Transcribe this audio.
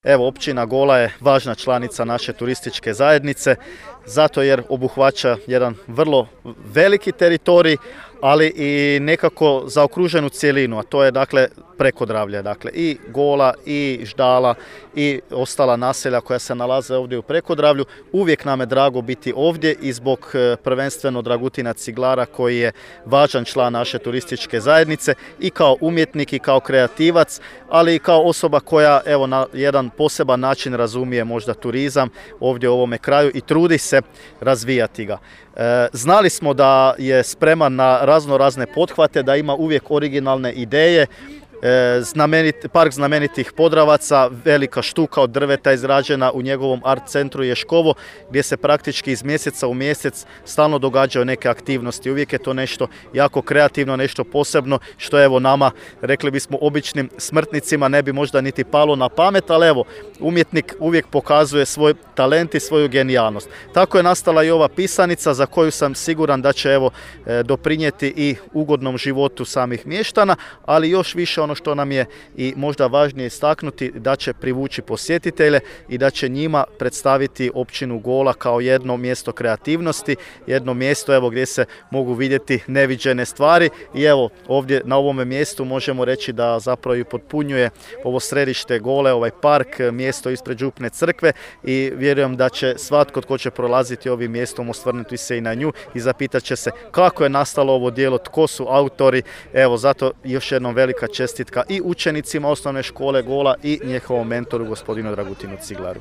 Evo, općina Gola je važna članica naše turističke zajednice, zato jer obuhvaća jedan vrlo veliki teritorij, ali i nekako zaokruženu cjelinu, a to je dakle Prekodravlje, dakle i Gola i Ždala i ostala naselja koja se nalaze ovdje u Prekodravlju. Uvijek nam je drago biti ovdje i zbog prvenstveno Dragutina Ciglara koji je važan član naše turističke zajednice i kao umjetnik i kao kreativac, ali i kao osoba koja evo na jedan poseban način razumije možda turizam ovdje u ovome kraju i trudi se razvijati ga. Znali smo da je spreman na razne pothvate, da ima uvijek originalne ideje. Park znamenitih Podravaca, velika štuka od drveta izrađena u njegovom art centru Ješkovo, gdje se praktički iz mjeseca u mjesec stalno događaju neke aktivnosti. Uvijek je to nešto jako kreativno, nešto posebno, što evo nama, rekli bismo običnim smrtnicima, ne bi možda niti palo na pamet, ali evo, umjetnik uvijek pokazuje svoj talent i svoju genijalnost. Tako je nastala i ova pisanica za koju sam siguran da će evo doprinijeti i ugodnom životu samih mještana, ali još više ono što nam je i možda važnije istaknuti, da će privući posjetitelje i da će njima predstaviti općinu Gola kao jedno mjesto kreativnosti, jedno mjesto evo gdje se mogu vidjeti neviđene stvari i evo ovdje na ovome mjestu možemo reći da zapravo i potpunjuje ovo središte Gole, ovaj park, mjesto ispred župne crkve i vjerujem da će svatko tko će prolaziti ovim mjestom osvrnuti se i na nju i zapitat će se kako je nastalo ovo djelo, tko su autori. Evo zato još jednom velika čestitka i učenicima osnovne škole Gola i njihovom mentoru gospodinu Dragutinu Ciglaru.